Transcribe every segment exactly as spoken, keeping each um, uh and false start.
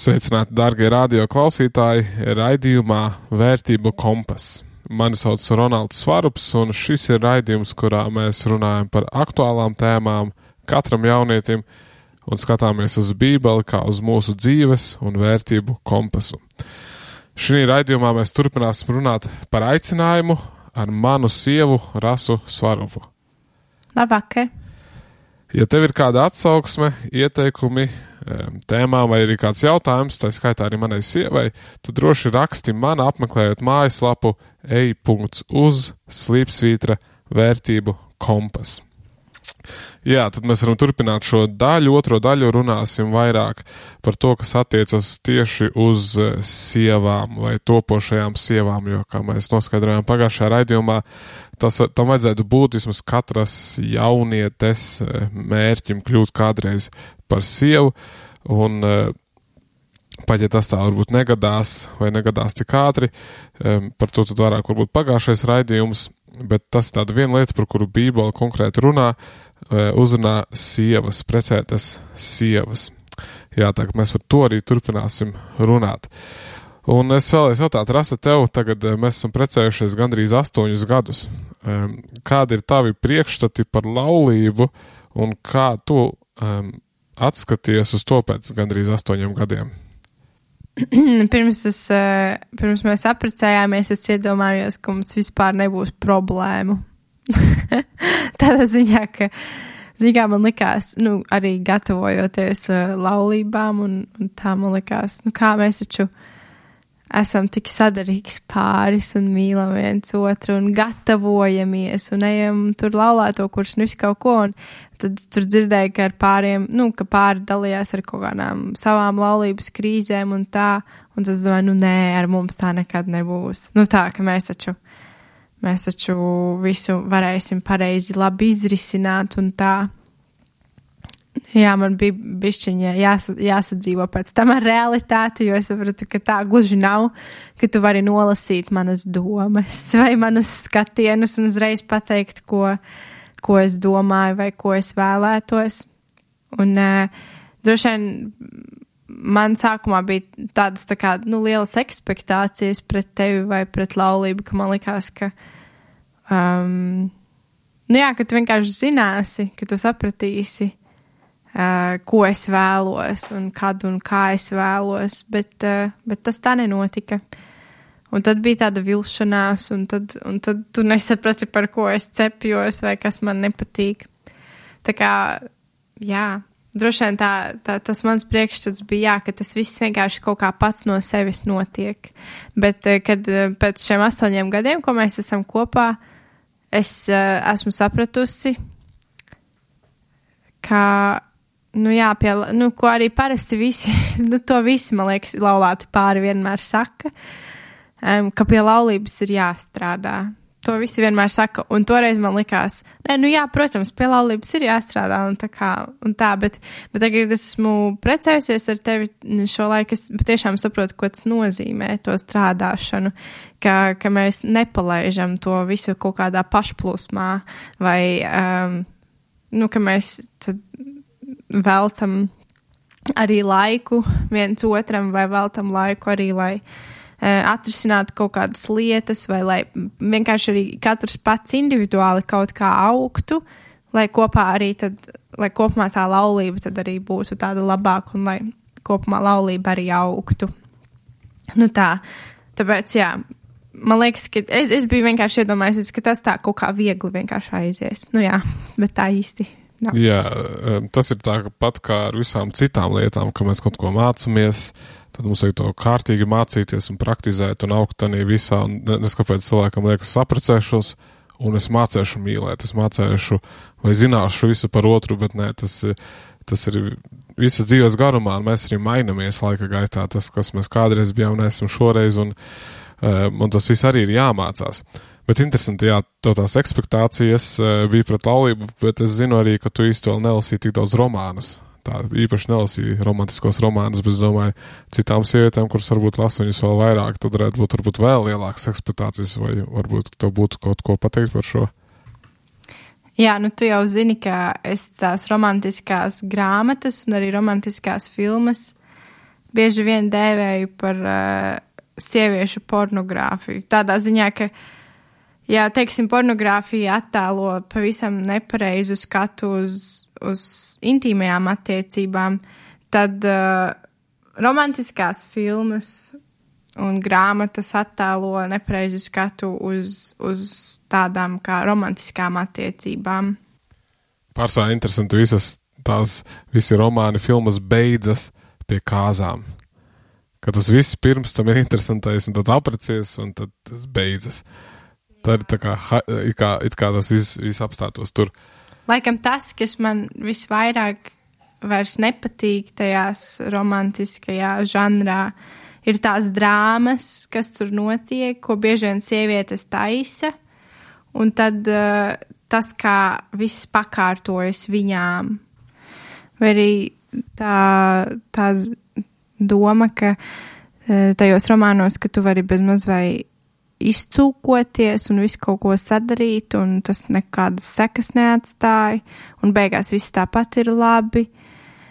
Sveicināti, dārgie radio klausītāji, raidījumā Vērtību kompas. Mani sauc Ronalds Svarups, un šis ir raidījums, kurā mēs runājam par aktuālām tēmām katram jaunietim un skatāmies uz Bībeli kā uz mūsu dzīves un vērtību kompasu. Šī raidījumā mēs turpināsim runāt par aicinājumu ar manu sievu Rasu Svarupu. Labvakar! Ja tev ir kāda atsauksme, ieteikumi, tēmām vai arī kāds jautājums, tā skaitā arī manai sievai, tad droši raksti man apmeklējot mājaslapu ej punkts uz slīpsvītra vērtību kompas. Jā, tad mēs varam turpināt šo daļu, otro daļu runāsim vairāk par to, kas attiecas tieši uz sievām vai topošajām sievām, jo, kā mēs noskaidrojām pagājušajā raidījumā, tas, tam vajadzētu būt vismaz katras jaunietes mērķim kļūt kādreiz par sievu, un pat ja tas tā varbūt negadās vai negadās tik ātri, par to tad vairāk varbūt pagājušais raidījums, bet tas ir tāda viena lieta, par kuru Bībele konkrēti runā, uzrunā sievas, precētas sievas. Jā, tā mēs par to arī turpināsim runāt. Un es vēlēs jautāt, Rasa, tev tagad mēs esam precējušies gandrīz astoņus gadus. Kādi ir tavi priekšstati par laulību un kā tu um, atskaties uz to pēc gandrīz astoņiem gadiem? Pirms, es, pirms mēs apprecējāmies, es iedomājos, ka mums vispār nebūs problēmu. Tādā ziņā, ka ziņā man likās, nu, arī gatavojoties laulībām un, un tā man likās, nu, kā mēs taču esam tik sadarīgs pāris un mīlam viens otru un gatavojamies un ejam tur laulāto, kurš nu visu kaut ko, un tad tur dzirdēju, ka ar pāriem, nu, ka pāri dalījās ar kaut kādām savām laulības krīzēm un tā, un tas domāju, nu, nē, ar mums tā nekad nebūs. Nu, tā, ka mēs taču, mēs taču visu varēsim pareizi labi izrisināt un tā. Jā, man bija bišķiņa jās, jāsadzīvo pēc tam ar realitāti, jo es sapratu, ka tā gluži nav, ka tu vari nolasīt manas domas vai manus skatienus un uzreiz pateikt, ko, ko es domāju vai ko es vēlētos. Un uh, droši vien man sākumā bija tādas tā kā, nu, lielas ekspektācijas pret tevi vai pret laulību, ka man likās, ka um, nu jā, ka tu vienkārši zināsi, ka tu sapratīsi, Uh, ko es vēlos un kad un kā es vēlos, bet, uh, bet tas tā nenotika. Un tad bija tāda vilšanās, un tad, un tad tu nesaprati, par ko es cepjos vai kas man nepatīk. Tā kā, jā, droši vien tā, tā, tas mans priekšstats bija, jā, ka tas viss vienkārši kaut kā pats no sevis notiek. Bet, uh, kad uh, pēc šiem astoņiem gadiem, ko mēs esam kopā, es uh, esmu sapratusi, ka Nu jā, pie, nu, ko arī parasti visi, nu, to visi, man liekas, laulāti pāri vienmēr saka, um, ka pie laulības ir jāstrādā. To visi vienmēr saka, un toreiz man likās, nē, nu jā, protams, pie laulības ir jāstrādā, un tā kā, un tā, bet, bet tagad esmu precējusies ar tevi šo laiku, es patiešām saprotu, ko tas nozīmē, to strādāšanu, ka, ka mēs nepalaižam to visu kaut kādā pašplūsmā, vai, um, nu, ka mēs tad veltam arī laiku viens otram vai veltam laiku arī, lai uh, atrisinātu kaut kādas lietas vai lai vienkārši arī katrs pats individuāli kaut kā augtu, lai kopā arī tad, lai kopumā tā laulība tad arī būtu tāda labāka un lai kopumā laulība arī augtu. Nu tā, tāpēc jā, man liekas, ka es, es biju vienkārši iedomājusies, ka tas tā kaut kā viegli vienkārši aizies. Nu jā, bet tā īsti. No. Jā, tas ir tā pat kā ar visām citām lietām, ka mēs kaut ko mācamies, tad mums vajag to kārtīgi mācīties un praktizēt un augt tanī visā, un neskapēc cilvēkam liekas saprecēšos, un es mācēšu mīlēt, es mācēšu vai zināšu visu par otru, bet nē, tas, tas ir visas dzīves garumā, un mēs arī mainamies laika gaitā, tas, kas mēs kādreiz bijām, neesam šoreiz, un, un tas viss arī ir jāmācās. Bet interesanti, jā, to tās ekspektācijas bija pret laulību, bet es zinu arī, ka tu īsti vēl nelasīji tik daudz romānus. Tā īpaši nelasīju romantiskos romānus, bet es domāju, citām sievietēm, kuras varbūt lasa viņus vēl vairāk, tad varētu būt varbūt vēl lielākas ekspektācijas, vai varbūt tev būtu kaut ko pateikt par šo? Jā, nu tu jau zini, ka es tās romantiskās grāmatas un arī romantiskās filmas bieži vien dēvēju par uh, sieviešu pornogrāfiju. Tādā ziņā, ka, ja, teiksim, pornogrāfija attēlo pavisam nepareizu skatu uz, uz intīmajām attiecībām, tad uh, romantiskās filmas un grāmatas attēlo nepareizu skatu uz, uz tādām kā romantiskām attiecībām. Pārsvarā interesanti, visas tās, visi romāni, filmas beidzas pie kāzām. Ka tas viss pirms tam ir interesantais, un tad aprecies, un tad tas beidzas. Tad tā kā, it kā, it kā tas viss, viss apstātos tur. Laikam tas, kas man visvairāk vairs nepatīk tajās romantiskajā žanrā, ir tās drāmas, kas tur notiek, ko bieži vien sievietes taisa, un tad uh, tas, kā viss pakārtojas viņām. Vai arī tā, tā doma, ka uh, tajos romānos, ka tu vari bezmaz vai izcūkoties un visu kaut ko sadarīt, un tas nekādas sekas neatstāja, un beigās viss tāpat ir labi.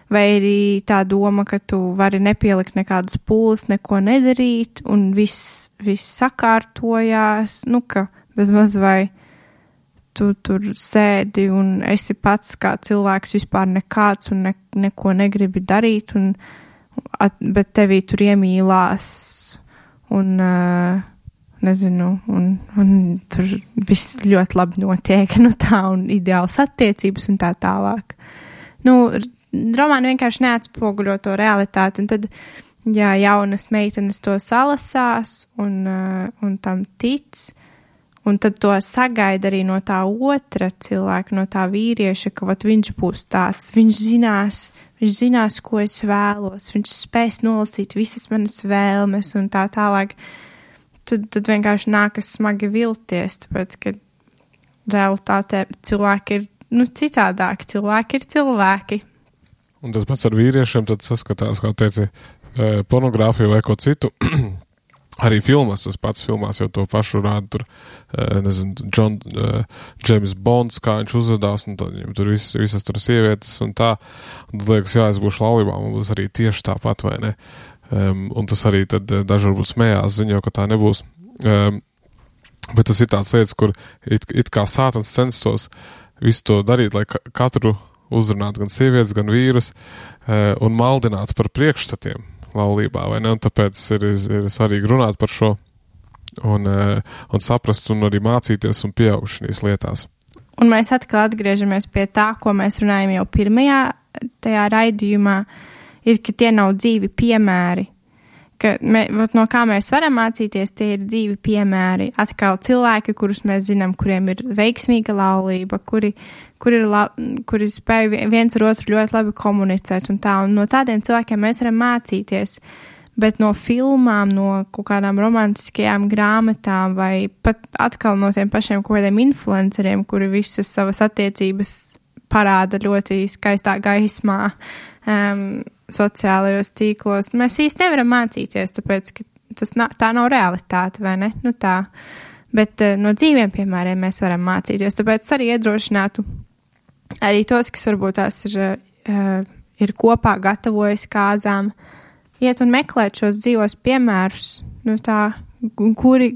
Vai arī tā doma, ka tu vari nepielikt nekādas pūles, neko nedarīt, un viss, viss sakārtojās, nu, ka bezmaz vai tu tur sēdi un esi pats kā cilvēks vispār nekāds un ne, neko negribi darīt, un, at, bet tevī tur iemīlās un, uh, nezinu, un, un tur viss ļoti labi notiek, nu tā, un ideāls attiecības un tā tālāk. Nu, romāni vienkārši neatspoguļo to realitāti, un tad, ja jaunas meitenes to salasās un, uh, un tam tic, un tad to sagaida arī no tā otra cilvēka, no tā vīrieša, ka vat viņš būs tāds, viņš zinās, viņš zinās, ko es vēlos, viņš spēs nolasīt visas manas vēlmes un tā tālāk, tad, tad vienkārši nākas smagi vilties, tāpēc, ka realitātē cilvēki ir, nu, citādāki, cilvēki ir cilvēki. Un tas pats ar vīriešiem tad saskatās, kā teici, pornogrāfiju vai ko citu. Arī filmas, tas pats filmās jau to pašu rāda, tur, nezinu, John, James Bonds, kā viņš uzvedās, un tad viņam tur vis, visas tur sievietes un tā. Un tad liekas, jā, es būšu laulībā, man būs arī tieši tāpat, vai ne? Um, un tas arī tad daži varbūt smējās, ziņo, ka tā nebūs. Um, bet tas ir tāds lietas, kur it, it kā sātans censtos visu to darīt, lai ka, katru uzrunāt gan sievietes, gan vīrus uh, un maldināt par priekšstatiem laulībā, vai ne? Un tāpēc ir, ir svarīgi runāt par šo un, uh, un saprast un arī mācīties un pieaugt šīs lietās. Un mēs atkal atgriežamies pie tā, ko mēs runājam jau pirmajā tajā raidījumā, ir, ka tie nav dzīvi piemēri. Ka mē, no kā mēs varam mācīties, tie ir dzīvi piemēri. Atkal cilvēki, kurus mēs zinām, kuriem ir veiksmīga laulība, kuri, kuri, ir la, kuri spēj viens ar otru ļoti labi komunicēt un tā. Un no tādiem cilvēkiem mēs varam mācīties. Bet no filmām, no kaut kādām romantiskajām grāmatām vai pat atkal no tiem pašiem kaut kādiem influenceriem, kuri visas savas attiecības parāda ļoti skaistā gaismā, um, sociālajos tīklos. Mēs īsti nevaram mācīties, tāpēc, ka tas na, tā nav realitāte, vai ne? Nu tā. Bet uh, no dzīviem piemēriem mēs varam mācīties, tāpēc arī iedrošinātu arī tos, kas varbūt tās ir, uh, ir kopā gatavojas kāzām, iet un meklēt šos dzīvos piemērus, nu tā, kuri,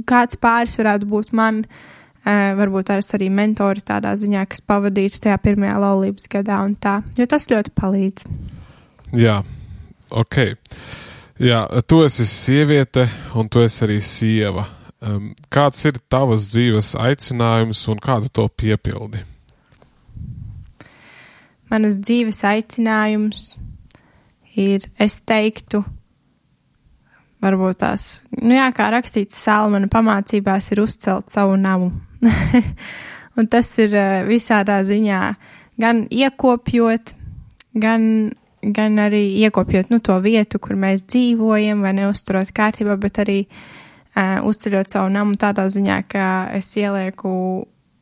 kāds pāris varētu būt man, uh, varbūt tās arī mentori tādā ziņā, kas pavadītu tajā pirmajā laulības gadā un tā, jo tas ļoti palīdz. Jā, ok. Jā, tu esi sieviete un tu esi arī sieva. Um, kāds ir tavas dzīves aicinājums un kāda to piepildi? Manas dzīves aicinājums ir, es teiktu, varbūt tās, nu jā, kā rakstīts Salmana pamācībās, ir uzcelt savu namu. Un tas ir visādā ziņā gan iekopjot, gan gan arī iekopjot, nu, to vietu, kur mēs dzīvojam, vai neuzturot kārtībā, bet arī uh, uzceļot savu namu tādā ziņā, ka es ielieku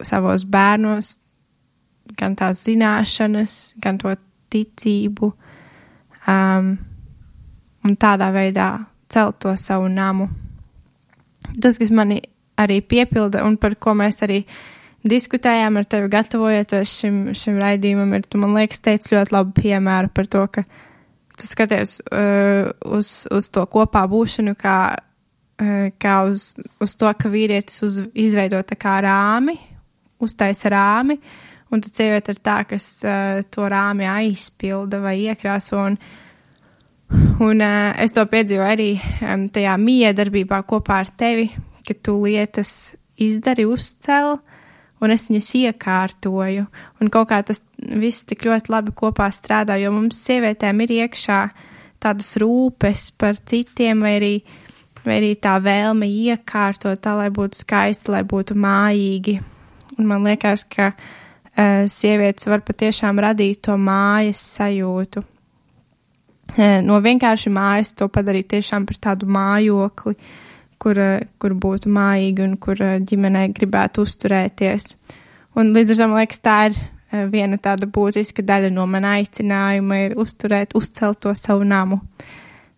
savos bērnos gan tās zināšanas, gan to ticību, um, un tādā veidā celt to savu namu. Tas, kas mani arī piepilda, un par ko mēs arī diskutējām ar tevi gatavojoties šim, šim raidījumam, ir, tu man liekas, teici ļoti labu piemēru par to, ka tu skaties uh, uz, uz to kopā būšanu, kā, uh, kā uz, uz to, ka vīrietis uz, izveido tā kā rāmi, uztaisa rāmi, un tad sieviete ir tā, kas uh, to rāmi aizpilda vai iekrāso, un, un uh, es to piedzīvoju arī um, tajā miedarbībā kopā ar tevi, ka tu lietas izdari, uzcel, un es viņas iekārtoju, un kaut kā tas viss tik ļoti labi kopā strādā, jo mums sievietēm ir iekšā tādas rūpes par citiem, vai arī, vai arī tā vēlme iekārtot tā, lai būtu skaisti, lai būtu mājīgi, un man liekas, ka uh, sievietes var patiešām radīt to mājas sajūtu. Uh, no vienkārši mājas to padarīt tiešām par tādu mājokli, Kur, kur būtu mājīgi un kur ģimenei gribētu uzturēties. Un līdz ar to, man liekas, tā ir viena tāda būtiska daļa no mana aicinājuma ir uzturēt, uzcelt to savu namu,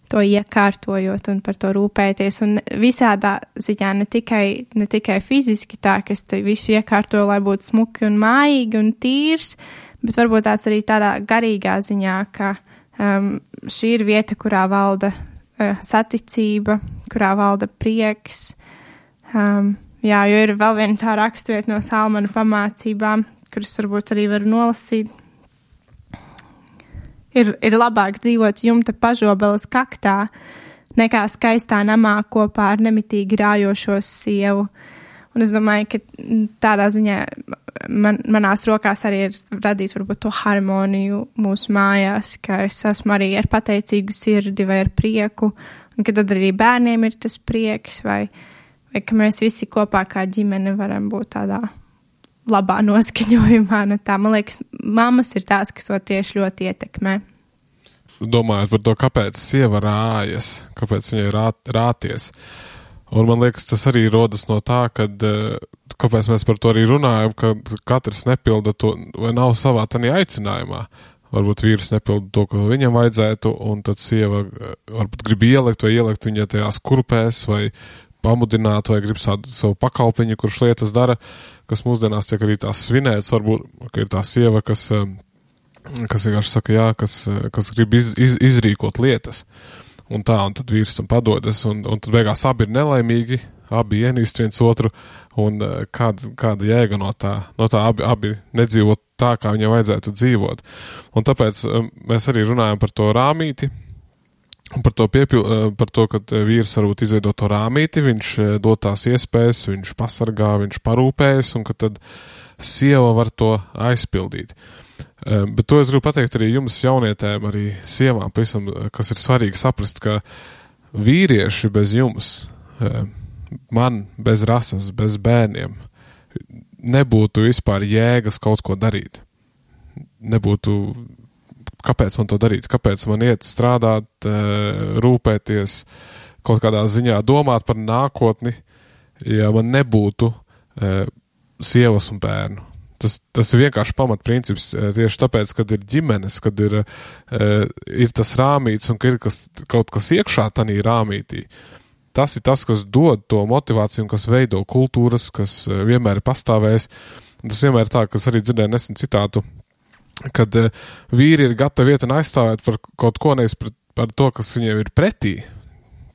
to iekārtojot un par to rūpēties. Un visādā ziņā ne tikai, ne tikai fiziski tā, ka es te visu iekārtoju, lai būtu smuki un mājīgi un tīrs, bet varbūt tās arī tādā garīgā ziņā, ka um, šī ir vieta, kurā valda saticība, kurā valda prieks. Um, jā, jo ir vēl viena tā raksturvieta no Salmana pamācībām, kuras varbūt arī varu nolasīt. Ir, ir labāk dzīvot jumta pažobeles kaktā, nekā skaistā namā kopā ar nemitīgi rājošos sievu. Un es domāju, ka tādā ziņā man, manās rokās arī ir radīt varbūt to harmoniju mūsu mājās, ka es esmu arī ar pateicīgu sirdi vai ar prieku, un ka tad arī bērniem ir tas prieks, vai, vai ka mēs visi kopā kā ģimene varam būt tādā labā noskaņojumā. Nu tā, man liekas, mammas ir tās, kas to tieši ļoti ietekmē. Domājot par to, kāpēc sieva rājas, kāpēc viņai rāt, rāties. Un man liekas, tas arī rodas no tā, kad, kāpēc mēs par to arī runājam, ka katrs nepilda to, vai nav savā tanī aicinājumā. Varbūt vīrs nepilda to, ko viņam vajadzētu, un tad sieva varbūt grib ielikt vai ielikt viņa tajās kurpēs, vai pamudināt, vai grib savu, savu pakalpiņu, kurš lietas dara, kas mūsdienās tiek arī tās svinēts, varbūt, ka ir tā sieva, kas, kas vienkārši saka, jā, kas, kas grib iz, iz, izrīkot lietas. Un tā, un tad vīrs tam padodas, un, un tad beigās abi ir nelaimīgi, abi ienīst viens otru, un kāda, kāda jēga no tā, no tā abi, abi nedzīvot tā, kā viņam vajadzētu dzīvot. Un tāpēc mēs arī runājam par to rāmīti, un par to, piepil, par to, ka vīrs varbūt izveido to rāmīti, viņš dod tās iespējas, viņš pasargā, viņš parūpējas, un ka tad sieva var to aizpildīt. Bet to es gribu pateikt arī jums jaunietēm, arī sievām, pavisam, kas ir svarīgi saprast, ka vīrieši bez jums, man bez rases, bez bērniem, nebūtu vispār jēgas kaut ko darīt. Nebūtu, kāpēc man to darīt, kāpēc man iet strādāt, rūpēties, kaut kādā ziņā domāt par nākotni, ja man nebūtu sievas un bērnu. Tas, tas ir vienkārši pamatprincips tieši tāpēc, kad ir ģimenes, kad ir, ir tas rāmīts un ka ir kas, kaut kas iekšā tanī rāmītī. Tas ir tas, kas dod to motivāciju un kas veido kultūras, kas vienmēr ir pastāvējis. Tas vienmēr ir tā, kas arī dzirdēja nesen citātu, kad vīri ir gatavi iet un aizstāvēt par kaut ko nevis par, par to, kas viņiem ir pretī.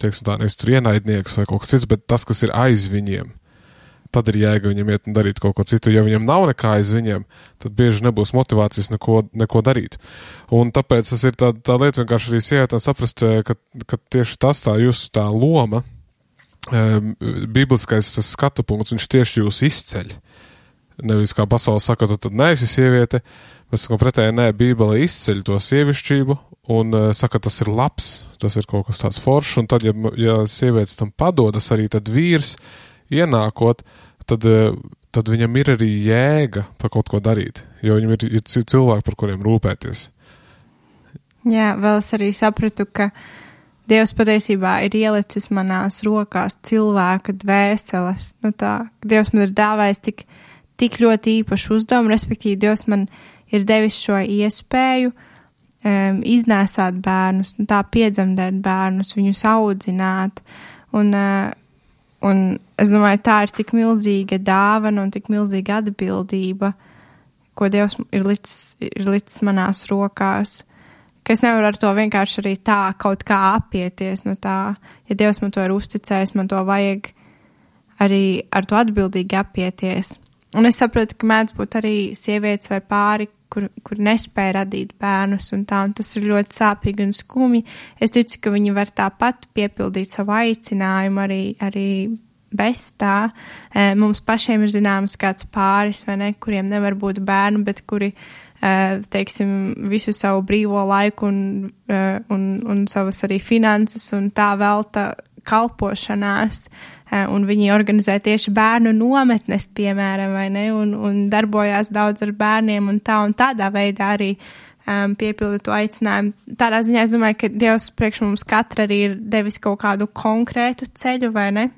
Teiksim tā, nevis tur ienaidnieks vai kaut kas cits, bet tas, kas ir aiz viņiem. Tad ir jēga viņam iet un darīt kaut ko citu. Ja viņam nav nekā aiz viņiem, tad bieži nebūs motivācijas neko, neko darīt. Un tāpēc tas ir tā, tā lieta vienkārši arī sievietēm saprast, ka, ka tieši tas tā jūsu tā loma, bibliskais tas skatu punkts, viņš tieši jūs izceļ. Nevis kā pasaule saka, tu tad neesi sieviete, mēs sakam pretēji, nē, Bībele izceļ to sievišķību un saka, tas ir labs, tas ir kaut kas tāds foršs, un tad, ja, ja sievietes tam padodas arī, tad vīrs ienākot, tad, tad viņam ir arī jēga par kaut ko darīt, jo viņam ir, ir cilvēki, par kuriem rūpēties. Jā, vēl es arī sapratu, ka Dievs patiesībā ir ielicis manās rokās cilvēka dvēseles. Nu tā, Dievs man ir dāvājis tik, tik ļoti īpašu uzdevumu, respektīvi Dievs man ir devis šo iespēju um, iznēsāt bērnus, nu tā piedzemdēt bērnus, viņus audzināt, un uh, Un es domāju, tā ir tik milzīga dāvana un tik milzīga atbildība, ko Dievs ir licis, ir licis manās rokās, ka es nevaru ar to vienkārši arī tā kaut kā apieties no tā, ja Dievs man to ir uzticējis, man to vajag arī ar to atbildīgi apieties. Un es saprotu, ka mēdz būt arī sievietes vai pāri, kur, kur nespēja radīt bērnus un tā, un tas ir ļoti sāpīgi un skumji. Es ticu, ka viņi var tāpat piepildīt savu aicinājumu arī, arī bez tā. Mums pašiem ir zināms kāds pāris, vai ne, kuriem nevar būt bērnu, bet kuri, teiksim, visu savu brīvo laiku un, un, un savas arī finanses un tā velta kalpošanās, un viņi organizē tieši bērnu nometnes, piemēram, vai ne, un, un darbojās daudz ar bērniem un tā, un tādā veidā arī um, piepilda to aicinājumu. Tādā ziņā es domāju, ka Dievs priekš mums katra arī ir devis kaut kādu konkrētu ceļu, vai ne?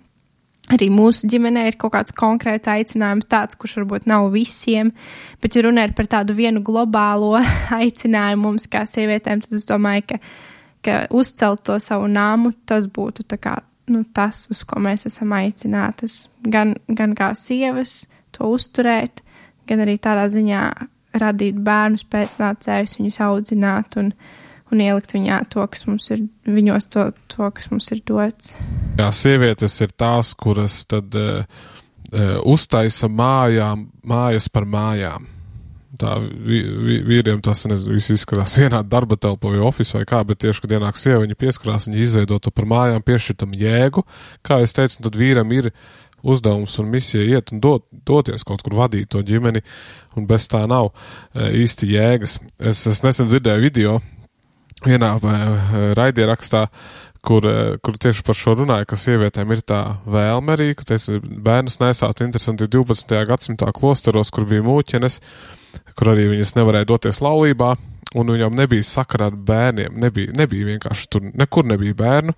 Arī mūsu ģimenē ir kaut kāds konkrēts aicinājums tāds, kurš varbūt nav visiem, bet ja runa ir par tādu vienu globālo aicinājumu mums kā sievietēm, tad es domāju, ka ka uzcelt to savu nāmu, tas būtu tā kā, nu, tas, uz ko mēs esam aicinātas. Gan, gan kā sievas to uzturēt, gan arī tādā ziņā radīt bērnus pēcnācējus, viņus audzināt un, un ielikt viņā to, kas mums ir, viņos to, to, kas mums ir dots. Jā, sievietes ir tās, kuras tad uh, uh, uztaisa mājām, mājas par mājām. Tā vīriem tas, nezinu, viss izskatās vienā darba telpā vai ofisā vai kā, bet tieši, kad ienāk sieva, viņa pieskarās, viņa izveido to par mājām, piešķirtam jēgu. Kā es teicu, tad vīram ir uzdevums un misija iet un dot, doties kaut kur vadīt to ģimeni, un bez tā nav īsti jēgas. Es, es nesen dzirdēju video vienā raidierakstā, kur, kur tieši par šo runāja, ka sievietēm ir tā vēlme arī, ka teica, bērnus nesāt interesanti divpadsmitajā gadsimtā klosteros, kur bija mūķenes, kur arī viņas nevarēja doties laulībā, un viņām nebija sakara ar bērniem, nebija, nebija vienkārši tur, nekur nebija bērnu.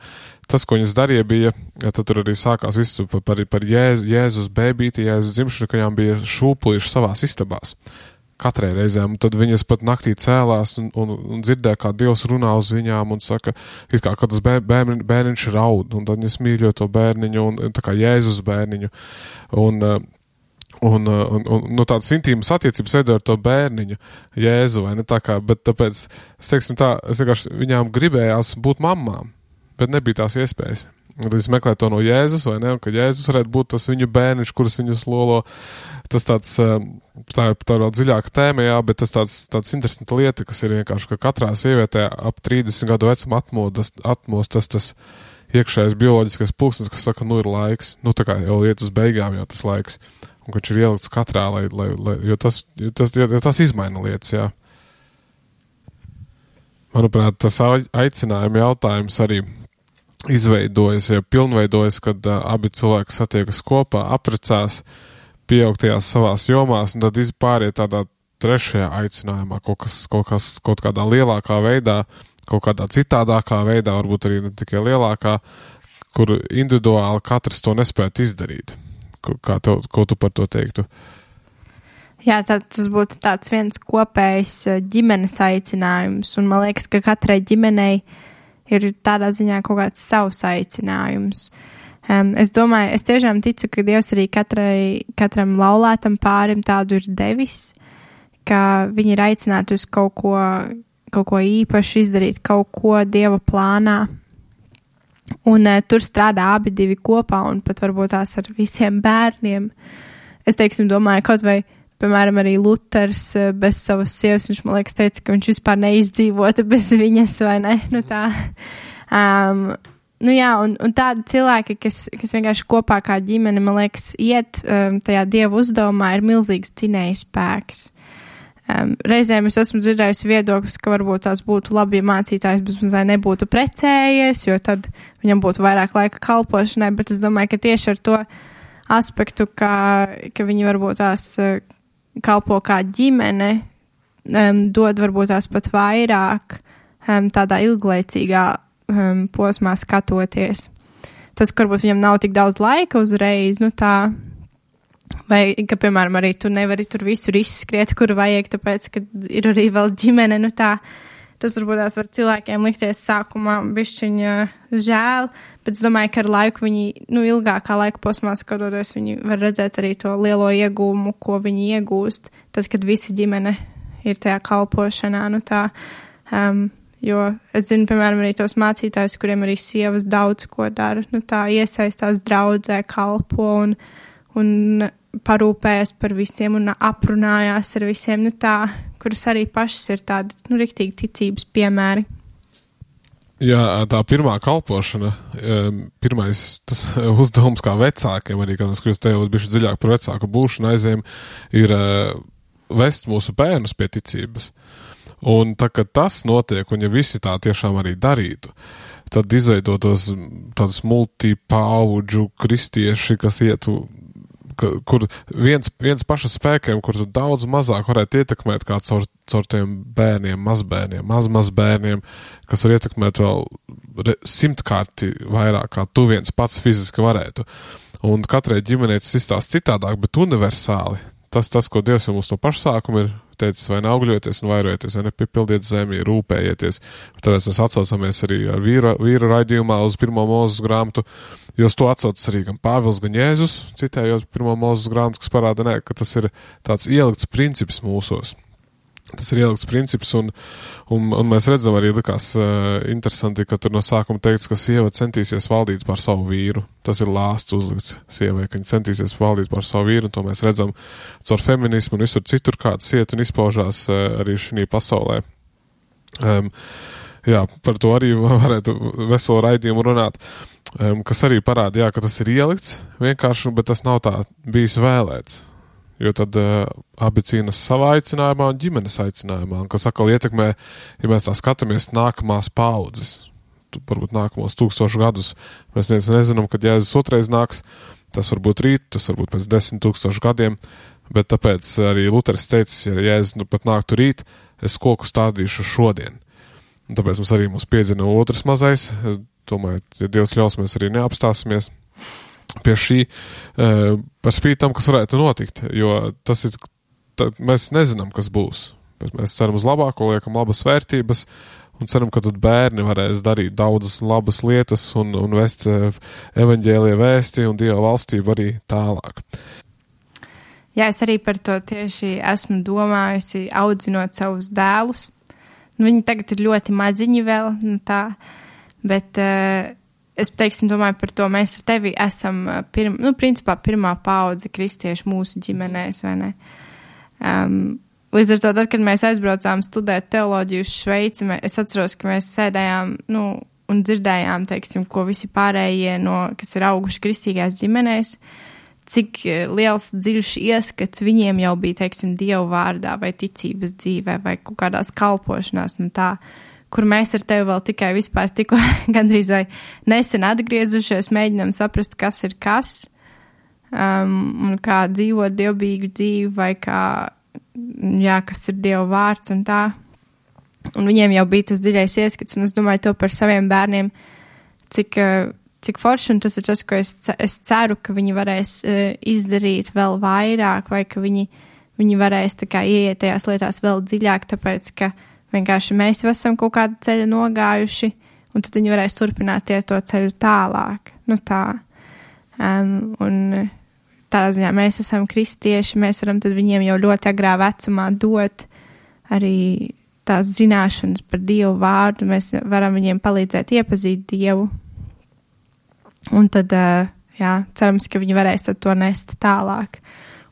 Tas, ko viņas darīja, bija, ja tad tur arī sākās viss par, par, par Jēzus, Jēzus bēbīti, Jēzus dzimšanu, ka viņām bija šūpulīši savās istabās. Katrai reizēm, un tad viņas pat naktī cēlās un, un, un dzirdēja, kā Dievs runā uz viņām un saka, it kā, ka tas bērni, bērniņš raud, un tad viņas mīļo to bērniņu, un tā kā Jēzus bērniņu, un, un, un, un no tādas intīmas attiecības veido ar to bērniņu, Jēzu, vai ne tā kā, bet tāpēc, es teiksim tā, es vienkārši viņām gribējās būt mammām, bet nebija tās iespējas. Un tad es meklēju to no Jēzus, vai ne, un ka Jēzus varētu būt tas viņu bērniņš, kurus viņus lolo. Tas tāds, tā ir tā vēl dziļāka tēma, jā, bet tas tāds, tāds interesanta lieta, kas ir vienkārši, ka katrā sievietē ap trīsdesmit gadu vecuma atmodas, atmos tas, tas iekšējais bioloģiskais pulksnis, kas saka, nu ir laiks, nu tā kā jau iet uz beigām jau tas laiks, un ka viņš ir ielikts katrā, lai, lai, lai, jo, tas, jo, tas, jo tas izmaina lietas, jā. Manuprāt, tas aicinājuma jautājums arī izveidojas, ja pilnveidojas, kad uh, abi cilvēki satiekas kopā, apprecās, pieaug tajās savās jomās, un tad izpāriet tādā trešajā aicinājumā, kaut kas, kaut kas, kaut kādā lielākā veidā, kaut kādā citādākā veidā, varbūt arī ne tikai lielākā, kur individuāli katrs to nespētu izdarīt. Kā tev, ko tu par to teiktu? Jā, tad tas būtu tāds viens kopējs ģimenes aicinājums, un man liekas, ka katrai ģimenei ir tādā ziņā kaut kāds savs aicinājums. Um, es domāju, es tiešām ticu, ka Dievs arī katrai, katram laulētam pārim tādu ir devis, ka viņi ir aicināti uz kaut ko, kaut ko īpašu izdarīt, kaut ko Dieva plānā. Un uh, tur strādā abi divi kopā, un pat varbūt tās ar visiem bērniem. Es, teiksim, domāju, kaut vai, piemēram, arī Luters bez savas sievas, viņš, man liekas, teica, ka viņš vispār neizdzīvota bez viņas, vai ne? Nu tā. Um, nu jā, un, un tādi cilvēki, kas, kas vienkārši kopā kā ģimene, man liekas, iet um, tajā Dieva uzdevumā, ir milzīgs dzinēja spēks. Um, reizēm es esmu dzirdējusi viedokļus, ka varbūt tās būtu labi, ja mācītājs bezmazai nebūtu precējies, jo tad viņam būtu vairāk laika kalpošanai, bet es domāju, ka tieši ar to aspektu, ka, ka viņi varbūt tās uh, kalpo kā ģimene, um, dod varbūt tās pat vairāk um, tādā ilglaicīgā um, posmā skatoties. Tas, ka varbūt viņam nav tik daudz laika uzreiz, nu tā, vai, ka, piemēram, arī tu nevari tur visur izskriet, kur vajag, tāpēc, ka ir arī vēl ģimene, nu tā, tas varbūt tās var cilvēkiem likties sākumā bišķiņa žēl, bet es domāju, ka ar laiku viņi, nu, ilgākā laika posmā skatoties, viņi var redzēt arī to lielo iegūmu, ko viņi iegūst, tad, kad visa ģimene ir tajā kalpošanā, nu tā, um, Jo es zinu, piemēram, arī tos mācītājus, kuriem arī sievas daudz ko dara, nu tā iesaistās draudzē, kalpo un, un parūpējas par visiem un aprunājās ar visiem, nu tā, kuras arī pašas ir tādi, nu, riktīgi ticības piemēri. Jā, tā pirmā kalpošana, pirmais tas uzdevums kā vecākiem, arī, kad mēs kļūst tev bišķi dziļāk par vecāku būšanu aizējam, ir vest mūsu bērnus pie ticības. Un tā, kad tas notiek, un ja visi tā tiešām arī darītu, tad izveidotos tādas multipauģu kristieši, kas ietu, ka, kur viens, viens paša spēkiem, kur tu daudz mazāk varētu ietekmēt kā caur, caur tiem bērniem, mazbērniem, mazmazbērniem, kas var ietekmēt vēl re, simtkārti vairāk, kā tu viens pats fiziski varētu. Un katrai ģimenei tas izstāst citādāk, bet universāli. Tas, tas, ko Dievs jau mums no pašsākuma ir teicis, vai neaugļoties un vairojieties, vai nepipildiet zemi, rūpējieties. Tāpēc mēs atsaucamies arī ar vīra, vīra raidījumā uz pirmo Mūzes grāmatu, jo to atsaucas arī gan Pāvils, gan Jēzus, citējot pirmo Mūzes grāmatu, kas parāda, ne, ka tas ir tāds ielikts princips mūsos. Tas ir ielikts princips, un, un, un mēs redzam arī likās uh, interesanti, ka tur no sākuma teikts, ka sieva centīsies valdīt pār savu vīru. Tas ir lāsts uzlikts sievai, ka viņa centīsies valdīt pār savu vīru, un to mēs redzam caur feminismu un visur citur, kāds iet un izpaužās uh, arī šī pasaulē. Um, jā, par to arī varētu veselu raidījumu runāt, um, kas arī parāda, jā, ka tas ir ielikts vienkārši, bet tas nav tā bijis vēlēts. Jo tad uh, abi cīnas savā aicinājumā un ģimenes aicinājumā, un kas atkal ietekmē, ja mēs tā skatāmies, nākamās paudzes, tu, varbūt nākamos tūkstošu gadus, mēs viens nezinām, kad Jēzus otrais nāks, tas varbūt rīt, tas varbūt pēc desmit tūkstošu gadiem, bet tāpēc arī Luteris teicis, ja Jēzus nu pat nāktu rīt, es koku stādīšu šodien. Un tāpēc mums arī mums piedzina otrs mazais, es domāju, ja Dievs ļaus, mēs arī neapstāsimies pie šī, par spīti tam, kas varētu notikt, jo tas ir, tā, mēs nezinām, kas būs, bet mēs ceram uz labāko, liekam labas vērtības un ceram, ka tad bērni varēs darīt daudzas labas lietas un, un vest evaņģēlie vēsti un Dieva valstību arī tālāk. Jā, es arī par to tieši esmu domājusi, audzinot savus dēlus. Nu, viņi tagad ir ļoti maziņi vēl, nu tā, bet uh, es, teiksim, domāju par to, mēs ar tevi esam, pirm, nu, principā, pirmā paudze kristiešu mūsu ģimenēs, vai ne? Um, līdz ar to, tad, kad mēs aizbraucām studēt teoloģiju uz Šveici, es atceros, ka mēs sēdējām, nu, un dzirdējām, teiksim, ko visi pārējie, no, kas ir auguši kristīgās ģimenēs, cik liels dziļš ieskats viņiem jau bija, teiksim, Dievu vārdā, vai ticības dzīvē, vai kaut kādās kalpošanās, nu tā, kur mēs ar tevi vēl tikai vispār tikko gandrīz vai nesen atgriezušies, mēģinām saprast, kas ir kas, um, un kā dzīvot dievbijīgu dzīvi, vai kā, jā, kas ir Dieva vārds un tā. Un viņiem jau bija tas dziļais ieskats, un es domāju to par saviem bērniem, cik, cik forši, un tas ir tas, ko es, es ceru, ka viņi varēs uh, izdarīt vēl vairāk, vai ka viņi, viņi varēs tā kā ieiet tajās lietās vēl dziļāk, tāpēc, ka vienkārši mēs jau esam kaut kādu ceļu nogājuši, un tad viņi varēs turpināt iet to ceļu tālāk. Nu tā. Um, un tādā ziņā mēs esam kristieši, mēs varam tad viņiem jau ļoti agrā vecumā dot arī tās zināšanas par Dievu vārdu, mēs varam viņiem palīdzēt iepazīt Dievu. Un tad, uh, jā, cerams, ka viņi varēs tad to nest tālāk.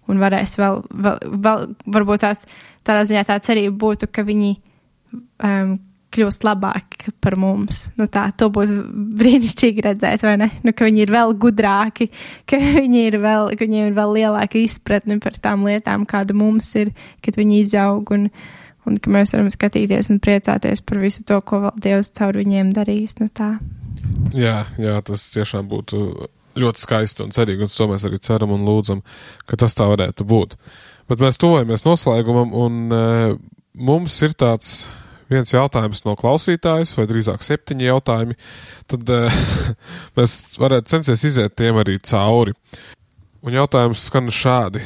Un varēs vēl, vēl, vēl varbūt tās, tādā ziņā tā cerība būtu, ka viņi Um, kļūst labāk par mums. Nu tā, to būtu brīnišķīgi redzēt, vai ne? Nu, ka viņi ir vēl gudrāki, ka viņi ir vēl, ka viņiem ir vēl lielāka izpratne par tām lietām, kāda mums ir, kad viņi izaug, un, un ka mēs varam skatīties un priecāties par visu to, ko vēl Dievs caur viņiem darīs. Nu tā. Jā, jā, tas tiešām būtu ļoti skaisti un cerīgi, un to mēs arī ceram un lūdzam, ka tas tā varētu būt. Bet mēs tuvojamies noslēgumam, un uh, mums ir tāds viens jautājums no klausītājas, vai drīzāk septiņi jautājumi, tad uh, mēs varētu censties iziet tiem arī cauri. Un jautājums skan šādi.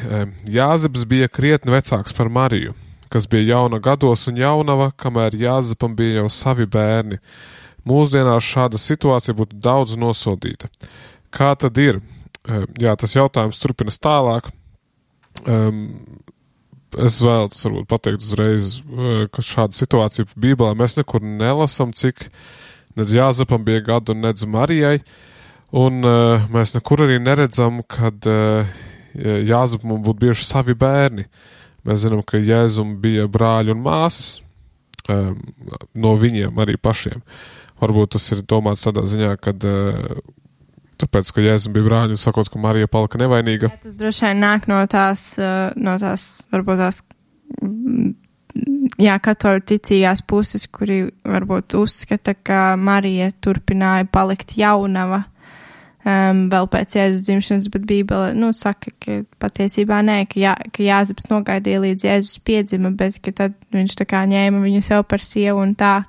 Jāzeps bija krietni vecāks par Mariju, kas bija jauna gados un jaunava, kamēr Jāzepam bija jau savi bērni. Mūsdienās šāda situācija būtu daudz nosodīta. Kā tad ir? Jā, tas jautājums turpinas tālāk. Um, es vēlos varbūt pateikt uzreiz, ka šāda situācija Bībelē mēs nekur nelasam, cik nedz Jāzepam bija gadu un nedz Marijai, un uh, mēs nekur arī neredzam, kad uh, Jāzepam būtu bijuši savi bērni. Mēs zinām, ka Jēzum bija brāļi un māsas, um, no viņiem arī pašiem. Varbūt tas ir domāts tādā ziņā, kad uh, tāpēc, ka Jēzum bija brāļi un sakot, ka Marija palika nevainīga. Jā, tas droši vien nāk no tās, uh, no tās, varbūt tās, jā, katoļu ticīgās puses, kuri varbūt uzskata, ka Marija turpināja palikt jaunava um, vēl pēc Jēzus dzimšanas, bet Bībele, nu, saka, ka patiesībā nē, ka, jā, ka Jāzeps nogaidīja līdz Jēzus piedzima, bet ka tad viņš tā kā ņēma viņu sev par sievu un tā.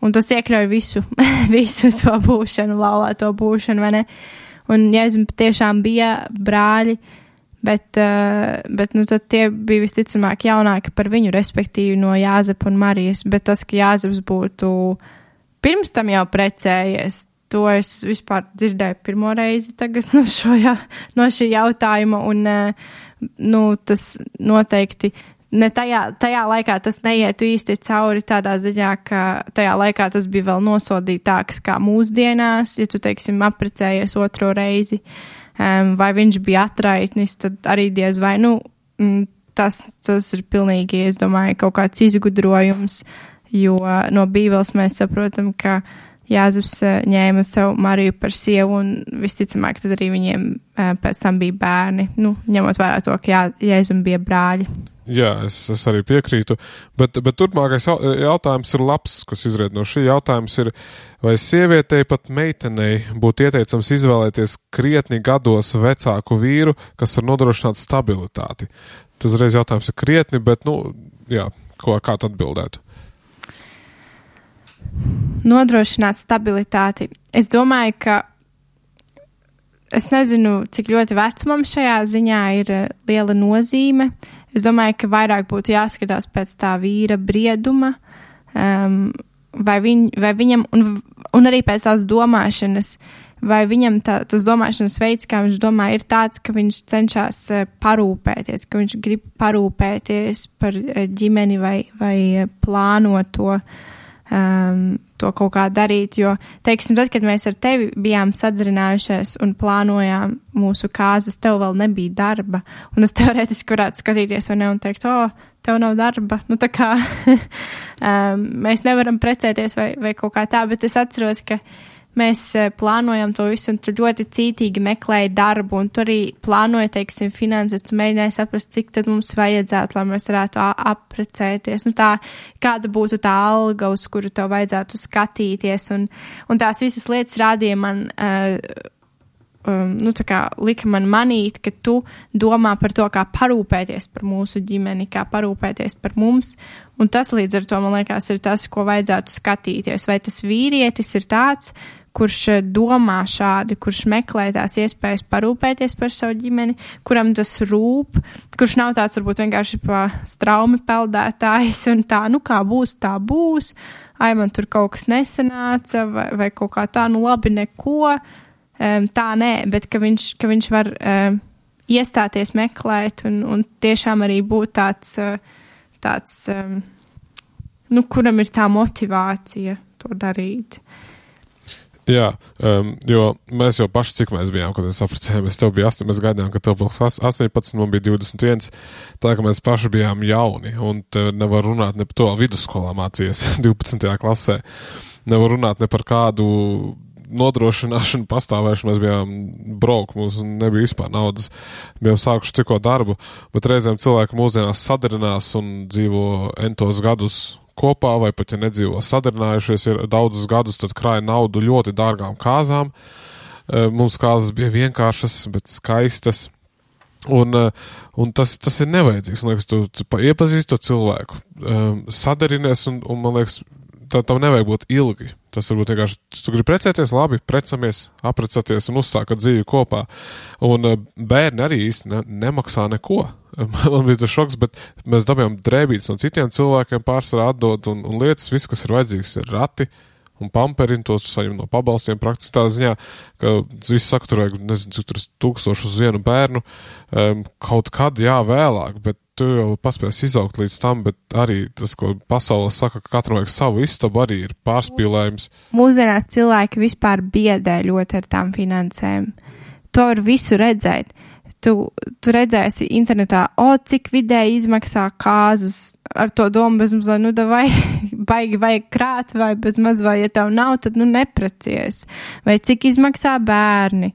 Un tas iekļauj visu, visu to būšanu, laulāto būšanu, vai ne? Un Jēzum tiešām bija brāļi, bet, uh, bet nu, tad tie bija visticamāk jaunāki par viņu, respektīvi no Jāzepa un Marijas. Bet tas, ka Jāzeps būtu pirms tam jau precējies, to es vispār dzirdēju pirmo reizi tagad no, šo, jā, no šī jautājuma. Un uh, nu, tas noteikti... Ne tajā, tajā laikā tas neietu īsti cauri tādā ziņā, ka tajā laikā tas bija vēl nosodītāks kā mūsdienās, ja tu, teiksim, apprecējies otro reizi, um, vai viņš bija atraitnis, tad arī diez vai, nu, tas, tas ir pilnīgi, es domāju, kaut kāds izgudrojums, jo no Bībeles mēs saprotam, ka Jāzeps ņēma savu Mariju par sievu un visticamāk tad arī viņiem pēc tam bija bērni, nu, ņemot vērā to, ka Jā, Jēzum bija brāļi. Jā, es, es arī piekrītu, bet, bet turpmākais jautājums ir labs, kas izriet no šī jautājums ir, vai sievietei pat meitenei būtu ieteicams izvēlēties krietni gados vecāku vīru, kas var nodrošināt stabilitāti. Tas reiz jautājums ir krietni, bet, nu, jā, ko, kā tu atbildētu? Nodrošināt stabilitāti. Es domāju, ka es nezinu, cik ļoti vecumam šajā ziņā ir liela nozīme. Es domāju, ka vairāk būtu jāskatās pēc tā vīra brieduma, um, vai, viņ, vai viņam, un, un arī pēc tās domāšanas, vai viņam tā, tas domāšanas veids, kā viņš domā, ir tāds, ka viņš cenšas parūpēties, ka viņš grib parūpēties par ģimeni vai, vai plānot to. Um, to kaut kā darīt, jo, teiksim, tad, kad mēs ar tevi bijām sadarinājušies un plānojām mūsu kāzas, tev vēl nebija darba, un es teorētiski varētu skatīties vai ne un teikt, o, tev nav darba, nu tā kā um, mēs nevaram precēties vai, vai kaut kā tā, bet es atceros, ka mēs plānojam to visu un tu ļoti cītīgi meklēji darbu un tu arī plānoji, teiksim, finanses, tu mēģināji saprast, cik tad mums vajadzētu, lai mēs varētu apprecēties. Nu tā, kāda būtu tā alga, uz kuru tev vajadzētu skatīties un, un tās visas lietas rādīja man, uh, um, nu tā kā lika man manīt, ka tu domā par to, kā parūpēties par mūsu ģimeni, kā parūpēties par mums. Un tas līdz ar to, man liekas, ir tas, ko vajadzētu skatīties. Vai tas vīrietis ir tāds, kurš domā šādi, kurš meklē tās iespējas parūpēties par savu ģimeni, kuram tas rūp, kurš nav tāds varbūt vienkārši pa straumi peldētājs un tā, nu kā būs, tā būs, ai man tur kaut kas nesanāca vai, vai kaut kā tā, nu labi neko, um, tā nē, bet ka viņš, ka viņš var um, iestāties meklēt un, un tiešām arī būt tāds, uh, tāds um, nu kuram ir tā motivācija to darīt. Jā, um, jo mēs jau paši, cik mēs bijām, kad mēs apprecējāmies, tev bija astoņi, mēs gaidījām, ka tev būs astoņpadsmit, man bija divdesmit viens, tā ka mēs paši bijām jauni, un te nevar runāt ne par to, vidusskolā mācījies divpadsmitajā klasē, nevar runāt ne par kādu nodrošināšanu, pastāvēšanu, mēs bijām broke, mums nebija vispār naudas, bijām sākuši tikko darbu, bet reizēm cilvēki mūsdienās sadarinās un dzīvo entos gadus kopā, vai pat, ja nedzīvo sadarinājušies, ir daudzus gadus, tad krāja naudu ļoti dārgām kāzām. Mums kāzas bija vienkāršas, bet skaistas. Un, un tas, tas ir nevajadzīgs. Man liekas, tu, tu iepazīsti to cilvēku, sadarinies, un, un man liekas, tā, tam nevajag būt ilgi. Tas varbūt vienkārši, tu gribi precēties, labi, precamies, aprecaties un uzsākat dzīvi kopā. Un bērni arī īsti ne, nemaksā neko. Man bija tas šoks, bet mēs dabījām drēbītes no citiem cilvēkiem pārsvarā atdod un, un lietas, viss, kas ir vajadzīgs, ir rati un pamperiņi, tos saņem no pabalstiem praktiski tā ziņā, ka viss saka, tur vajag, nezinu, cik tur tūkstoši uz vienu bērnu, um, kaut kad, jā, vēlāk, bet tu jau paspēsi izaugt līdz tam, bet arī tas, ko pasaulē saka, ka katram vajag savu istabu, arī ir pārspīlējums. Mūsdienās cilvēki vispār biedē ļoti ar tām finansēm. To var visu redzēt. Tu, tu redzēsi internetā, o, cik vidēji izmaksā kāzas, ar to domu bez maz, nu, vai baigi vajag krāt, vai bez maz, vai, ja tev nav, tad, nu, neprecies. Vai cik izmaksā bērni.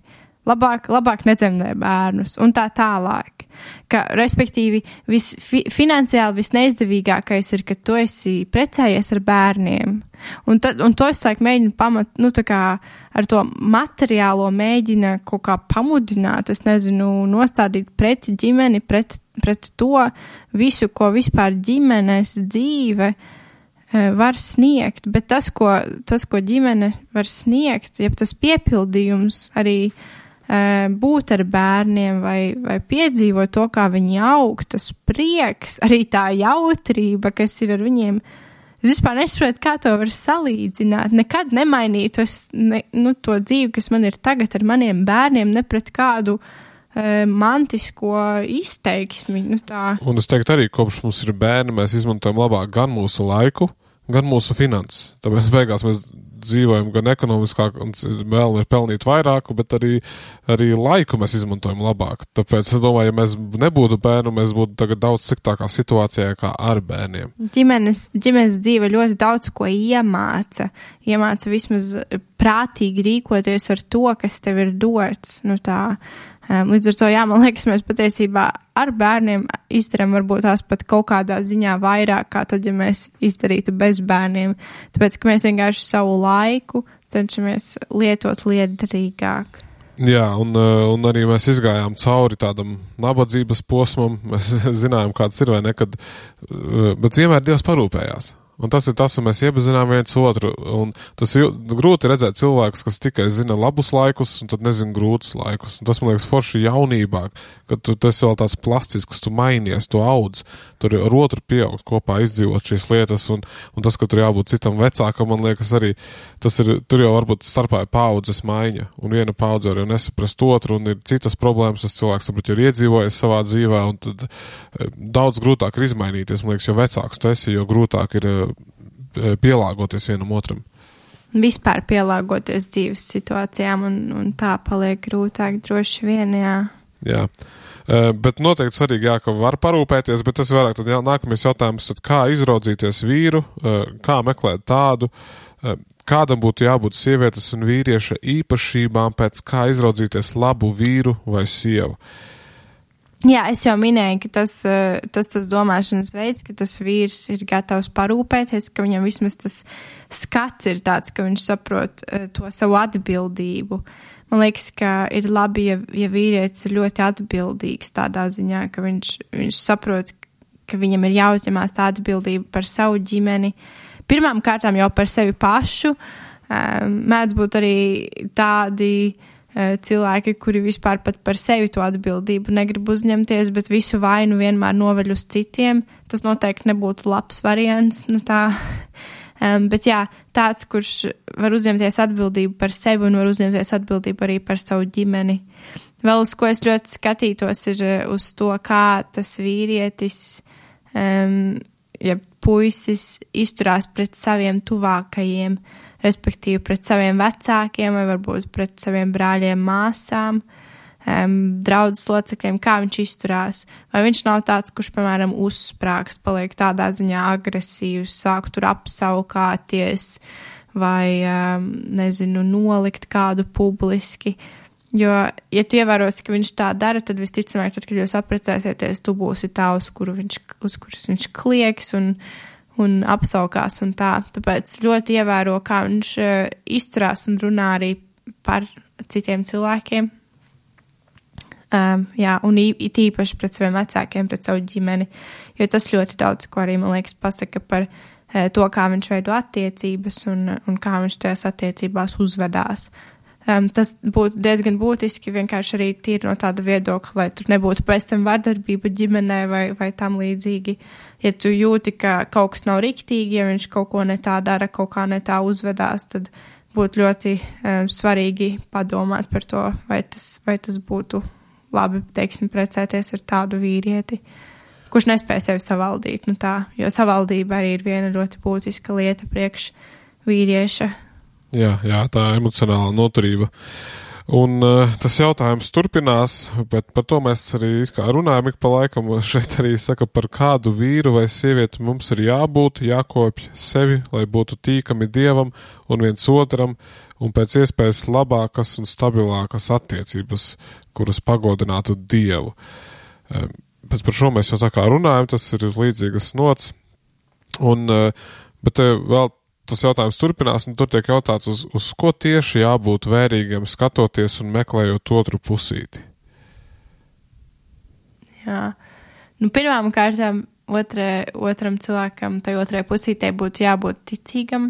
Labāk, labāk nedzemdē bērnus un tā tālāk. Ka, respektīvi, vis, fi, finansiāli visneizdevīgākais ir, ka tu esi precējies ar bērniem. Un, tad, un to es laik mēģinu pamat, nu tā kā ar to materiālo mēģina kaut kā pamudināt, es nezinu, nostādīt pret ģimeni, pret, pret to visu, ko vispār ģimenes dzīve var sniegt. Bet tas, ko, tas, ko ģimene var sniegt, ja tas piepildījums arī būt ar bērniem vai, vai piedzīvot to, kā viņi aug, tas prieks, arī tā jautrība, kas ir ar viņiem. Es vispār nesaprotu, kā to var salīdzināt. Nekad nemainītu es, ne, nu, to dzīvi, kas man ir tagad ar maniem bērniem, ne pret kādu e, mantisko izteiksmi. Nu, tā. Un es teiktu arī, kopš mums ir bērni, mēs izmantojam labāk gan mūsu laiku, gan mūsu finanses. Tāpēc beigās mēs dzīvojam gan ekonomiskāk un vēl ir pelnīt vairāku, bet arī, arī laiku mēs izmantojam labāk. Tāpēc es domāju, ja mēs nebūtu bērnu, mēs būtu tagad daudz sliktākā situācijā kā ar bērniem. Ģimenes, ģimenes dzīve ļoti daudz ko iemāca. Iemāca vismaz prātīgi rīkoties ar to, kas tev ir dots. Nu tā, līdz ar to, jā, man liekas, mēs patiesībā ar bērniem izdarām varbūt tās pat kaut kādā ziņā vairāk, kā tad, ja mēs izdarītu bez bērniem. Tāpēc, ka mēs vienkārši savu laiku cenšamies lietot liederīgāk. Jā, un, un arī mēs izgājām cauri tādam nabadzības posmam. Mēs zinājām, kāds ir vai ne, kad, bet vienmēr Dievs parūpējās. Un tas ir tas, un mēs iepazinām viens otru, un tas ir grūti redzēt cilvēkus, kas tikai zina labus laikus, un tad nezina grūtus laikus. Un tas, man liekas, forši jaunībā, kad tu, tu esi vēl tāds plastisks, tu mainies, tu audz, tur ar otru pieaugt kopā, izdzīvot šīs lietas, un, un tas, ka tur jābūt citam vecākam, man liekas, arī, tas ir, tur jau varbūt starpā ir paudzes maiņa, un viena paudze var jau nesaprast otru, un ir citas problēmas, tas cilvēks, varbūt, jau ir iedzīvojies savā dzīvē, un tad daudz grūtāk ir izmainīties, man liekas, jo vecāks tu esi, jo grūtāk ir pielāgoties vienam otram. Vispār pielāgoties dzīves situācijām un, un tā paliek grūtāk droši vien, jā. Jā, uh, bet noteikti svarīgi, jā, ka var parūpēties, bet tas vairāk tad jā, nākamais jautājums, tad kā izraudzīties vīru, uh, kā meklēt tādu, uh, kādam būtu jābūt sievietes un vīrieša īpašībām pēc kā izraudzīties labu vīru vai sievu. Jā, es jau minēju, ka tas, tas, tas domāšanas veids, ka tas vīrs ir gatavs parūpēties, ka viņam vismaz tas skats ir tāds, ka viņš saprot to savu atbildību. Man liekas, ka ir labi, ja, ja vīrietis ir ļoti atbildīgs tādā ziņā, ka viņš, viņš saprot, ka viņam ir jāuzņemās tā atbildība par savu ģimeni. Pirmām kārtām jau par sevi pašu. Mēdz būt arī tādi cilvēki, kuri vispār pat par sevi to atbildību negrib uzņemties, bet visu vainu vienmēr noveļ uz citiem. Tas noteikti nebūtu labs variants. Nu tā. Um, bet jā, tāds, kurš var uzņemties atbildību par sevi un var uzņemties atbildību arī par savu ģimeni. Vēl uz ko es ļoti skatītos ir uz to, kā tas vīrietis, um, ja puisis izturās pret saviem tuvākajiem, respektīvi pret saviem vecākiem vai varbūt pret saviem brāļiem, māsām, um, draudzes locekļiem, kā viņš izturās. Vai viņš nav tāds, kurš, piemēram, uzsprāgs, paliek tādā ziņā agresīvs, sāk tur apsaukāties vai, um, nezinu, nolikt kādu publiski. Jo, ja tu ievērosi, ka viņš tā dara, tad visticamāk, tad, kad jūs apprecēsieties, tu būsi tā, uz, kuru viņš, uz kuras viņš klieks un un apsaukās un tā. Tāpēc ļoti ievēro, kā viņš uh, izturās un runā arī par citiem cilvēkiem. Um, jā, un it īpaši pret saviem vecākiem, pret savu ģimeni, jo tas ļoti daudz, ko arī, man liekas, pasaka par uh, to, kā viņš veido attiecības un, un kā viņš tajās attiecībās uzvedās. Um, tas būtu diezgan būtiski vienkārši arī tīri no tāda viedokļa, lai tur nebūtu pēc tam vardarbība ģimenē vai, vai tam līdzīgi. Ja tu jūti, ka kaut kas nav riktīgi, ja viņš kaut ko ne tā dara, kaut kā ne tā uzvedās, tad būtu ļoti um, svarīgi padomāt par to, vai tas, vai tas būtu labi, teiksim, precēties ar tādu vīrieti. kurš nespēja sevi savaldīt, nu tā, jo savaldība arī ir viena ļoti būtiska lieta priekš vīrieša. Jā, jā, tā emocionāla noturība. Un uh, tas jautājums turpinās, bet par to mēs arī kā runājam ik pa laikam. Šeit arī saka, par kādu vīru vai sievieti mums ir jābūt, jākopj sevi, lai būtu tīkami Dievam un viens otram, un pēc iespējas labākas un stabilākas attiecības, kuras pagodinātu Dievu. Um, bet par šo mēs jau tā kā runājam, tas ir uz līdzīgas nots. Un, uh, bet uh, vēl tas jautājums turpinās, un tur tiek jautāts, uz, uz ko tieši jābūt vērīgiem, skatoties un meklējot otru pusīti. Jā. Nu, pirmām kārtām otrē, otram cilvēkam, tai otrai pusītei būtu jābūt ticīgam.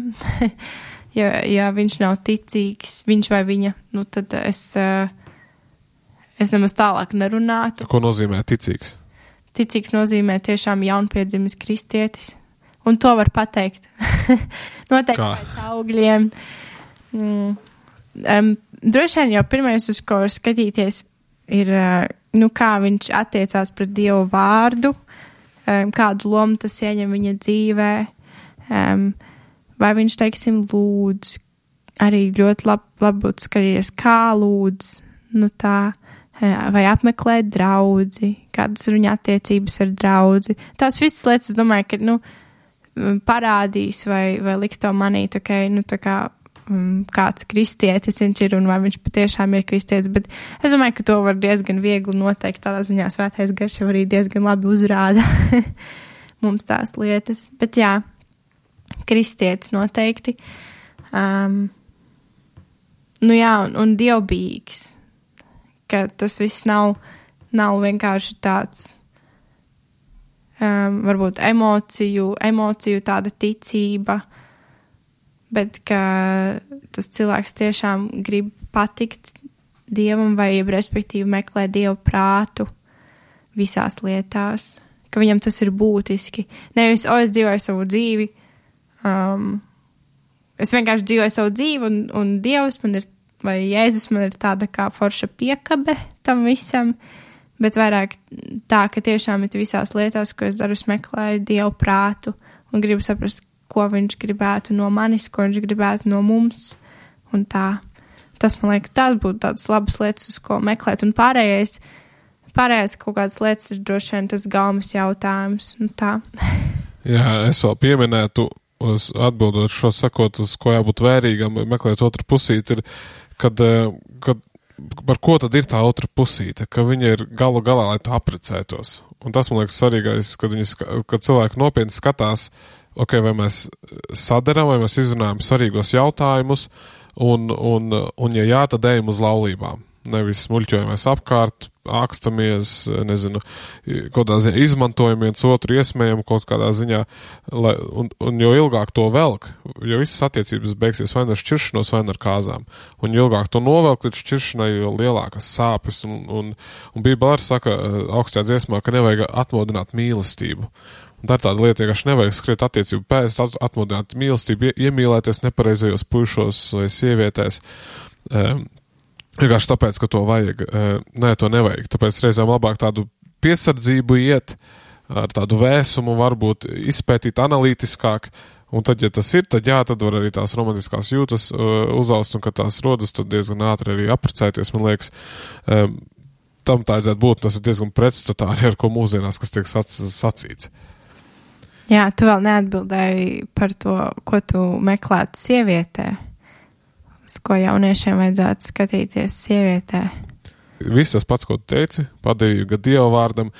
ja, ja viņš nav ticīgs, viņš vai viņa, nu tad es, es nemaz tālāk nerunātu. Ko nozīmē ticīgs? Ticīgs nozīmē tiešām jaunpiedzimis kristietis. Un to var pateikt. Noteikti pēc augļiem. Mm. Um, droši vien jau pirmais, uz ko var skatīties, ir, uh, nu, kā viņš attiecās pret Dievu vārdu, um, kādu lomu tas ieņem viņa dzīvē, um, vai viņš, teiksim, lūdz, arī ļoti labi lab būtu skatīties, kā lūdz, nu tā, vai apmeklēt draudzi, kādas ir viņa attiecības ar draudzi. Tās visas lietas, es domāju, ka, nu, parādīs vai, vai liks to manīt, ok, nu tā kā um, kāds kristietis viņš ir un vai viņš patiešām ir kristietis, bet es domāju, ka to var diezgan viegli noteikt, tādā ziņā svētais garš jau arī diezgan labi uzrāda mums tās lietas, bet jā, kristietis noteikti. Um, nu jā, un, un dievbijīgs, ka tas viss nav, nav vienkārši tāds Um, varbūt emociju, emociju tāda ticība, bet ka tas cilvēks tiešām grib patikt Dievam vai, respektīvi, meklē Dievu prātu visās lietās, ka viņam tas ir būtiski. Nevis, o, es dzīvoju savu dzīvi, um, es vienkārši dzīvoju savu dzīvi un, un Dievs man ir, vai Jēzus man ir tāda kā forša piekabe tam visam, bet vairāk tā, ka tiešām ir visās lietās, ko es daru, es meklēju Dievu prātu un gribu saprast, ko viņš gribētu no manis, ko viņš gribētu no mums, un tā. Tas, man liekas, tās būtu tādas labas lietas, uz ko meklēt, un pārējais, pārējais kaut kādas lietas ir droši vien tas galmas jautājums, un tā. Jā, es vēl pieminētu, atbildot šo sakot, uz ko jābūt vērīgam, meklēt otru pusīti, ir, kad, kad par ko tad ir tā otra pusīte, ka viņa ir galu galā, lai tu apprecētos. Un tas, man liekas, svarīgais, kad, viņi, kad cilvēki nopietni skatās, ok, vai mēs sadaram, vai mēs izrunājam svarīgos jautājumus, un, un, un ja jā, tad ejam uz laulībām. Nevis muļķojamies apkārt, ākstamies, nezinu, kādā ziņā izmantojam viens otru, iesmējam kaut kādā ziņā, lai, un, un jo ilgāk to velk, jo visas attiecības beigsies vai ar šķiršanos, vai ar kāzām. Un jo ilgāk to novelk līdz šķiršanai, jo lielākas sāpes, un, un, un Bībele arī saka augstajā dziesmā, ka nevajag atmodināt mīlestību. Un tā ir tāda lieta, ka nevajag skriet attiecību pēc, atmodināt mīlestību, iemīlēties nepareizajos puišos vai sievietēs, um, vienkārši tāpēc, ka to vajag. Nē, to nevajag. Tāpēc reizēm labāk tādu piesardzību iet, ar tādu vēsumu varbūt izpētīt analītiskāk, un tad, ja tas ir, tad jā, tad var arī tās romantiskās jūtas uzaust, un kad tās rodas, tad diezgan ātri arī apprecēties, man liekas. Tam tā aiziet būt, tas ir diezgan pretstatā arī ar ko mūsdienās, kas tiek sac, sacīts. Jā, tu vēl neatbildēji par to, ko tu meklētu sievietē. Ko jauniešiem vajadzētu skatīties sievietē. Viss tas pats, ko tu teici, padevīga Dieva vārdam.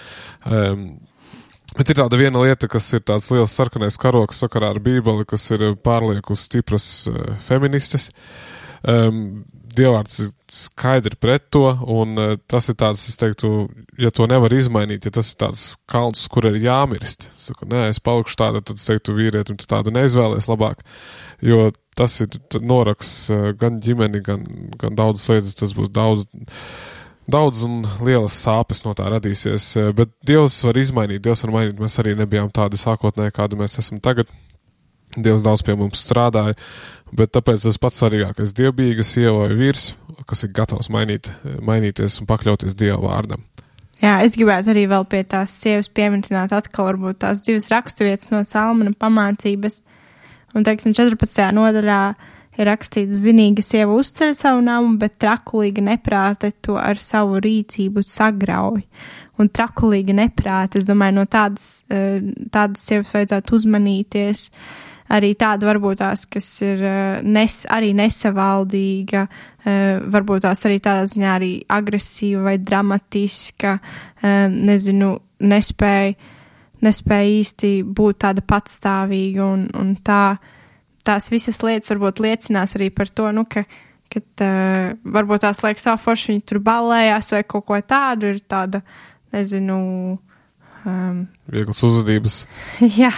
Um, bet ir tāda viena lieta, kas ir tāds liels sarkanais karoks sakarā ar Bībeli, kas ir pārlieku stipras uh, feministes. Um, Dievvārds ir skaidri pret to, un uh, tas ir tāds, es teiktu, ja to nevar izmainīt, ja tas ir tāds kalns, kur ir jāmirst. Saku, nē, es palikšu tāda, tad es teiktu vīrietim, tu tādu neizvēlies labāk, jo tas ir noraks gan ģimeni, gan, gan daudzas lietas, tas būs daudz, daudz un lielas sāpes no tā radīsies, bet Dievs var izmainīt, Dievs var mainīt, mēs arī nebijām tādi sākotnēji, kādi mēs esam tagad. Dievs daudz pie mums strādāja, bet tāpēc tas pats svarīgākais dievbijīga sieva vai vīrs, kas ir gatavs mainīt, mainīties un pakļauties Dieva vārdam. Jā, es gribētu arī vēl pie tās sievas pieminēt atkal varbūt tās divas raksturvietas no Salmana pamācības. Un, teiksim, četrpadsmitajā nodaļā ir rakstīts, zinīga sieva uzceļ savu namu, bet trakulīga neprāte to ar savu rīcību sagrauj. Un trakulīga neprāte, es domāju, no tādas, tādas sievas vajadzētu uzmanīties. Arī tāda varbūt tās, kas ir nes, arī nesavaldīga, varbūt tās arī tādā ziņā arī agresīva vai dramatiska, nezinu, nespēja, nespēja īsti būt tāda patstāvīga un, un tā, tās visas lietas varbūt liecinās arī par to, nu, ka, kad uh, varbūt tās liek savu foršu, viņi tur ballējās vai kaut ko tādu, ir tāda, nezinu, um, vieglas uzvedības. Jā,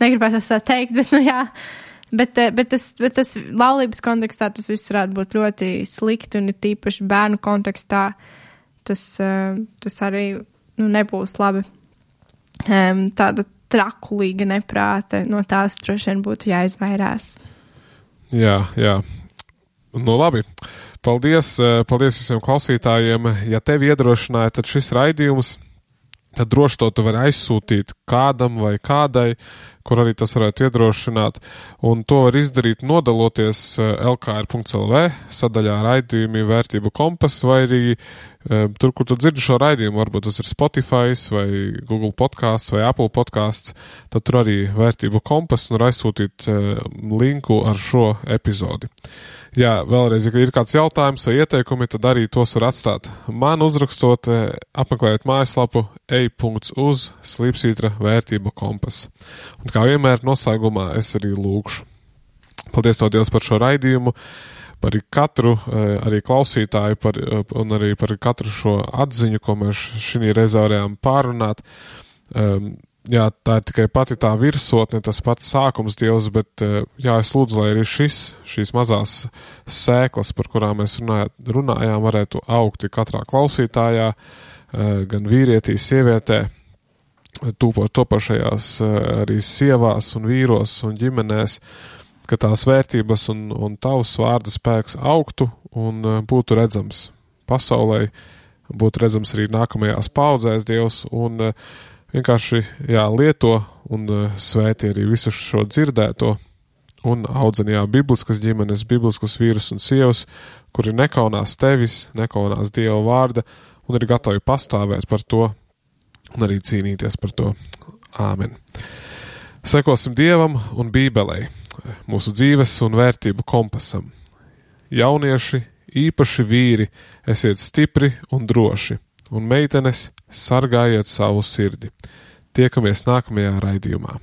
negribētu tā teikt, bet, nu jā, bet, bet, tas, bet tas laulības kontekstā tas viss varētu būt ļoti slikti un ir tīpaši bērnu kontekstā tas, uh, tas arī, nu, nebūs labi. Um, tāda trakulīga neprāte, no tās droši vien būtu jāizvairās. Jā, jā. Nu labi. Paldies, paldies visiem klausītājiem. Ja tevi iedrošināja, tad šis raidījums, tad droši to tu vari aizsūtīt kādam vai kādai, kur arī tas varētu iedrošināt. Un to var izdarīt nodaloties el ka er punkts el vē sadaļā raidījumi vērtību kompas vai arī tur, kur tu dzirdi šo raidījumu, varbūt tas ir Spotify vai Google podcasts vai Apple podcasts, tad tur arī vērtību kompas un var aizsūtīt linku ar šo epizodi. Jā, vēlreiz, ja ir kāds jautājums vai ieteikumi, tad arī tos var atstāt man uzrakstot, apmeklējot mājaslapu ej punkts uz slīpsvītra vērtību kompas. Un kā vienmēr noslēgumā es arī lūgšu. Paldies tev, Dievs, par šo raidījumu, par katru arī klausītāju par, un arī par katru šo atziņu, ko mēs šī reizē varējām pārunāt. Um, jā, tā ir tikai pati tā virsotne, tas pats sākums, Dievs, bet jā, es lūdzu, lai arī šis, šīs mazās sēklas, par kurām mēs runājāt, runājām, varētu augt katrā klausītājā, gan vīrietī, sievietē, topošajās arī sievās un vīros un ģimenēs, ka tās vērtības un, un tavs vārda spēks augtu un būtu redzams pasaulē, būtu redzams arī nākamajās paudzēs, Dievs, un vienkārši, jā, lieto un svētī arī visu šo dzirdēto un audzini, jā, bibliskas ģimenes, bibliskas vīrus un sievas, kuri nekaunās tevis, nekaunās Dieva vārda un ir gatavi pastāvēt par to un arī cīnīties par to. Āmen. Sekosim Dievam un Bībelei, mūsu dzīves un vērtību kompasam. Jaunieši, īpaši vīri, esiet stipri un droši, un meitenes sargājiet savu sirdi. Tiekamies nākamajā raidījumā.